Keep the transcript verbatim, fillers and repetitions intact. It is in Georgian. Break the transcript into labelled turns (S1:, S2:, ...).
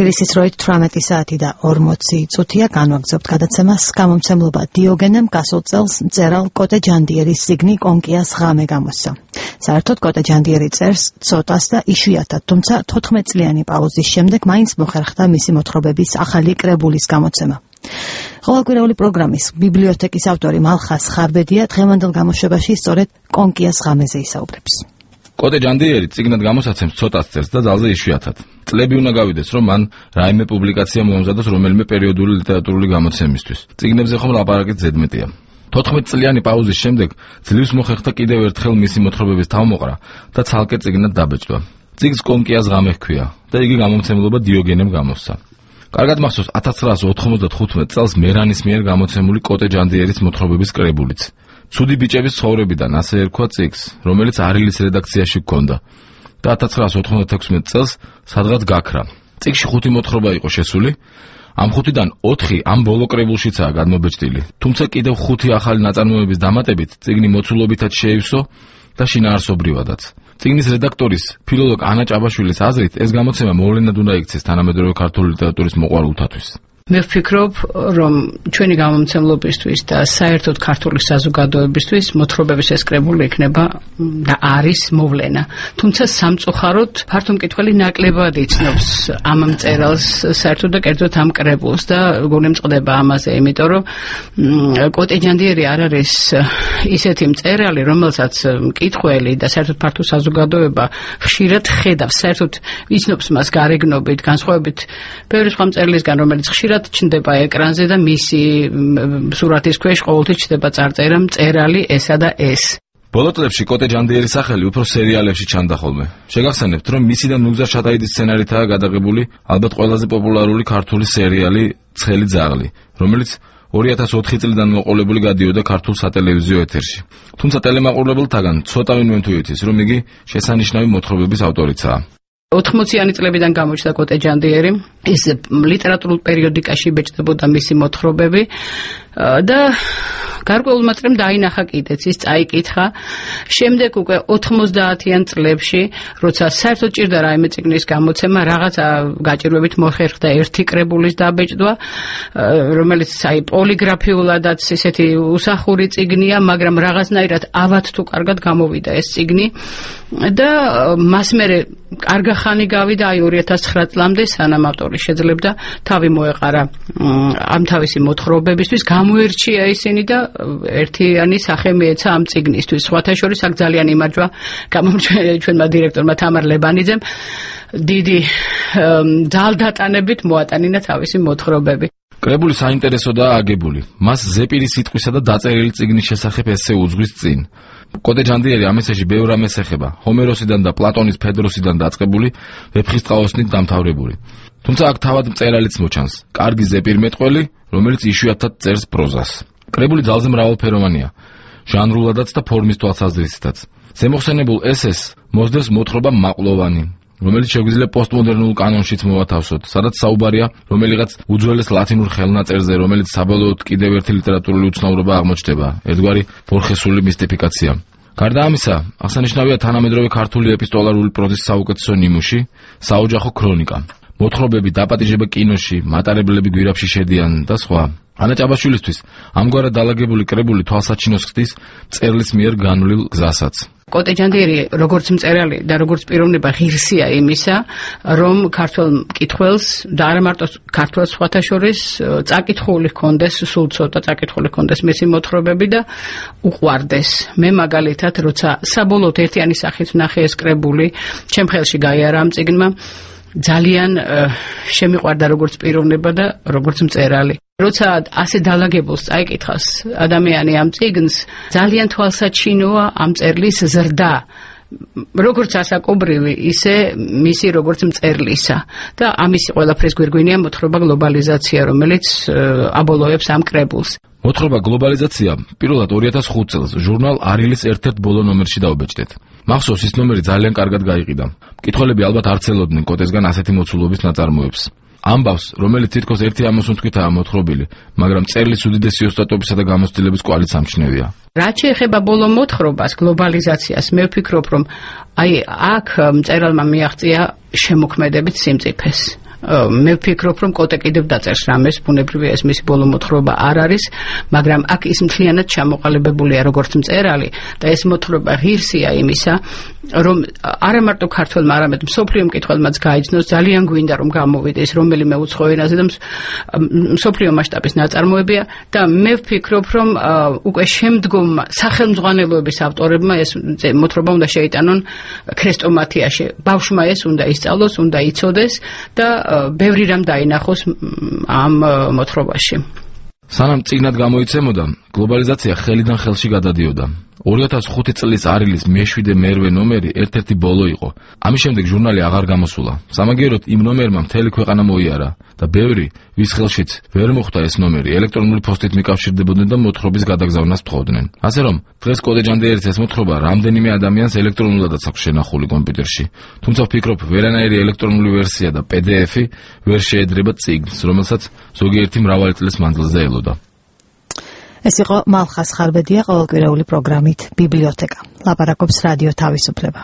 S1: თბილისის როით თვრამეტი საათი და ორმოცი წუთია განვაგრძობთ გადაცემას გამომცემლობა დიოგენემ გასულ წელს მწერალ კოტე ჯანდიერის წიგნი კონკიას ღამე გამოსცა. საერთოდ კოტე ჯანდიერი წერს ცოტას და იშვიათად, თუმცა თოთხმეტწლიანი პაუზის შემდეგ მაინც მოხერხდა მისი მოთხრობების ახალი კრებულის გამოცემა. ყოველკვირეული პროგრამის ბიბლიოთეკის ავტორი მალხას ხარბედია დღევანდელ გამოშვებაში სწორედ კონკიას ღამეზე ისაუბრებს.
S2: კოტე ჯანდიერი წიგნად გამოსაცემს ცოტას წერს და ძალზე იშვიათად. წლები უნდა გავიდეს, რომ მან რაიმე პუბლიკაცია მოამზადოს რომელიმე პერიოდული ლიტერატურული გამოცემისთვის. წიგნებზე ხომ ლაპარაკით ზედმეტია. თოთხმეტწლიანი პაუზის შემდეგ ძლივს მოხერხდა კიდევ ერთხელ მისი მოთხრობების თავმოყრა და ცალკე წიგნად დაბეჭდვა. წიგნს კონკიას ღამე ჰქვია და იგი გამომცემლობა დიოგენემ გამოსცა. კარგად მახსოვს ათას ცხრაასი ოთხმოცდათხუთმეტ წელს მერანის მიერ გამოცემული კოტე ჯანდიერის მოთხრობების კრებულიც. ცუდი ბიჭების ცხოვრებიდან ასე ერქვა წიგნს, რომელიც არილის რედაქციაში ჰქონდა და ათას ცხრაასი ოთხმოცდათექვსმეტ წელს სადღაც გაქრა. წიგნში ხუთი მოთხრობა იყო შესული, ამ ხუთიდან ოთხი ამ ბოლო კრებულშიცაა გადმობეჭდილი, თუმცა კიდევ ხუთი ახალი ნაწარმოების დამატებით წიგნი მოცულობითაც შეივსო და შინაარსობრივადაც. წიგნის რედაქტორის ფილოლოგ ანა ჭაბაშვილის აზრით ეს გამოცემა მოვლენად უნდა იქცეს თანამედროვე ქართული ლიტერატურის მოყვარულთათვის.
S3: მე ვფიქრობ, რომ ჩვენი გამომცემლობისთვის და საერთოდ ქართული საზოგადოებისთვის მოთხრობების ეს კრებული იქნება და არის მოვლენა. თუმცა სამწუხაროდ ფართო მკითხველი ნაკლებად იცნობს ამ მწერალს საერთოდ და კერძოდ ამ კრებულს და გულიმწყდება ამაზე, იმიტომ რომ კოტე ჯანდიერი არ არის ისეთი მწერალი, რომელსაც მკითხველი და საერთოდ ფართო საზოგადოება ხშირად ხედავს, საერთოდ იცნობს მას გარეგნობით, განსხვავებით ბევრი სხვა მწერლისგან, რომელიც ხშირად ჩნდება ეკრანზე და მისი სურათის ქვეშ ყოველთვის ჩნდება წარწერა მწერალი ესა და ეს.
S2: ბოლო წლებში კოტე ჯანდიერის სახელი უფრო სერიალებში ჩანდა ხოლმე. შეგახსენებთ, რომ მისი და ნუგზარ შატაიძის სცენარითაა გადაღებული ალბათ ყველაზე პოპულარული ქართული სერიალი ცხელი ძაღლი, რომელიც ორი ათას ოთხი წლიდან მოყოლებული გადიოდა ქართულ სატელევიზიო ეთერში. თუმცა ტელემაყურებელთაგან ცოტავინმე თუ იცის, რომ იგი შესანიშნავი მოთხრობების ავტორიცაა.
S3: ოთხმოციანი წლებიდან გამოჩნდა კოტე ჯანდიერი, ის ლიტერატურულ პერიოდიკაში იბეჭდებოდა მისი მოთხრობები და გარკვეულმა წრემ დაინახა კიდეც, ის წაიკითხა. შემდეგ უკვე ოთხმოცდაათიან წლებში, როცა საერთოდ ჭირდა რაიმე წიგნის გამოცემა, რაღაცა გაჭირვებით მოხერხდა ერთი კრებულის დაბეჭდვა, რომელიც აი პოლიგრაფიულადაც ისეთი უსახური წიგნია, მაგრამ რაღაცნაირად ავად თუ კარგად გამოვიდა ეს წიგნი და მას მერე კარგა ხანი გავიდა აი ორი ათას ცხრა წლამდე, სანამ ავტორი შეძლებდა თავი მოეყარა ამ თავისი მოთხრობებისთვის, გამოერჩია ისინი და ერთიანი სახე მიეცა ამ წიგნისთვის. სხვათა შორის აქ ძალიან იმარჯვა ჩვენმა დირექტორმა თამარ ლებანიძემ, დიდი ძალდატანებით მოატანინა თავისი მოთხრობები.
S2: კრებული საინტერესოდაა აგებული. მას ზეპირის სიტყვისა და დაწერილი წიგნის შესახებ ესე უძღვის წინ. კოტე ჯანდიერი ამ ესეში ბევრ რამეს ეხება, ჰომეროსიდან და პლატონის ფედროსიდან დაწყებული, ვეფხისტყაოსნით დამთავრებული. თუმცა აქ თავად მწერალიც მოჩანს, კარგი ზეპირმეტყველი, რომელიც იშვიათად წერს პროზას. კრებული ძალზე მრავალფეროვანია, ჟანრულადაც და ფორმის თვალსაზრისითაც. ზემოხსენებულ ესეს მოსდევს მოთხრობა მაყლოვანი, რომელიც შეგვიძლია პოსტმოდერნულ კანონშიც მოვათავსოთ, სადაც საუბარია რომელიღაც უძველეს ლათინურ ხელნაწერზე, რომელიც საბოლოოდ კიდევ ერთი ლიტერატურული უცნაურობა აღმოჩნდება, ერთგვარი ბორხესული მისტიფიკაცია. გარდა ამისა, აღსანიშნავია თანამედროვე ქართული ეპისტოლარული პროზის საუკეთესო ნიმუში, საოჯახო ქრონიკა, მოთხრობები, დაპატიჟება კინოში, მატარებლები გვირაბში შედიან და სხვა. ანა ჭაბაშვილისთვის ამგვარად დალაგებული კრებული თვალსაჩინოს ხდის მწერლის მიერ განვლილ გზასაც.
S3: კოტე ჯანდიერი როგორც მწერალი და როგორც პიროვნება ღირსია იმისა, რომ ქართველ მკითხველს და არა მარტო ქართველს სხვათა შორის წაკითხული ჰქონდეს, სულ ცოტა წაკითხული ჰქონდეს მისი მოთხრობები და უყვარდეს. მე მაგალითად, როცა საბოლოოდ ერთიანი სახით ვნახე ეს კრებული, ჩემ ხელში გაიარა ამ წიგნმა, ძალიან შემიყვარდა როგორც პიროვნება და როგორც მწერალი. როცა ასე დალაგებულს წაიკითხავს ადამიანი ამ წიგნს, ძალიან თვალსაჩინოა ამ მწერლის ზრდა, როგორც ასაკობრივი, ისე მისი როგორც მწერლისა. და ამისი ყველაფრის გვირგვინია მოთხრობა გლობალიზაცია, რომელიც აბოლოებს ამ კრებულს.
S2: მოთხრობა გლობალიზაცია პირველად ორი ათას ხუთი წელს ჟურნალ არილის ერთ-ერთ ბოლო ნომერში დაუბეჭდეთ. მახსოვს ის ნომერი ძალიან კარგად გაიყიდა. მკითხველები ალბათ არ ცელოდნენ კოტესგან ასეთი მოცულობის ნაწარმოებს. ამბავს, რომელიც თითქოს ერთი ამოსუნთქვითაა მოთხრობილი, მაგრამ წერლის უდიდესი ოსტატობისა და გამოცდილების კვალიც ამჩნევია.
S3: რაც შეეხება ბოლო მოთხრობას, გლობალიზაციას, მე ვფიქრობ, რომ აი აქ მწერალმა მიაღწია შემოქმედებით სიმწიფეს. მე ვფიქრობ, რომ კოტე კიდევ დაწერს რამეს, ბუნებრივია ეს მისი ბოლო მოთხრობა არ არის, მაგრამ აქ ის მთლიანად ჩამოყალიბებულია როგორც მწერალი და ეს მოთხრობა ღირსია იმისა, რომ არა მარტო ქართველმა, არამედ მსოფლიო მკითხველმაც გაიცნოს, ძალიან გვინდა რომ გამოვიდეს რომელიმე უცხო ენაზე და მსოფლიო მასშტაბის ნაწარმოებია და მე ვფიქრობ, რომ უკვე შემდგომ სახელმძღვანელოების ავტორებმა ეს მოთხრობა უნდა შეიტანონ ქრესტომათიაში. ბავშვმა ეს უნდა ისწავლოს, უნდა იცოდეს და ბევრი რამ დაინახოს ამ მოთხრობაში.
S2: სანამ წიგნად გამოიცემოდა, გლობალიზაცია ხელიდან ხელში გადადიოდა. ორი ათას ხუთი წლის არილის მეშვიდე მერვე ნომერი ერთ-ერთი ბოლო იყო. ამის შემდეგ ჟურნალი აღარ გამოსულა. სამაგიეროდ იმ ნომერმა მთელი ქვეყანა მოიარა და ბევრი, ვის ხელშიც ვერ მოხვდა ეს ნომერი, ელექტრონული ფოსტით მიკავშირდებოდნენ და მოთხრობის გადაგზავნას თხოვდნენ. ასე რომ, დღეს კოტე ჯანდიერის ეს მოთხრობა რამდენიმე ადამიანს ელექტრონულადაც აქვს შენახული კომპიუტერში. თუმცა ვფიქრობ, ვერანაირი ელექტრონული ვერსია და პი დი ეფი ვერ შეედრება წიგნს, რომელსაც ზოგიერთი მრავალი წლის მანძილზე ელოდა.
S1: ეს იყო მალხას ხარბედია ყოველკვირეული პროგრამით ბიბლიოთეკა. ლაპარაკობს რადიო თავისუფლება.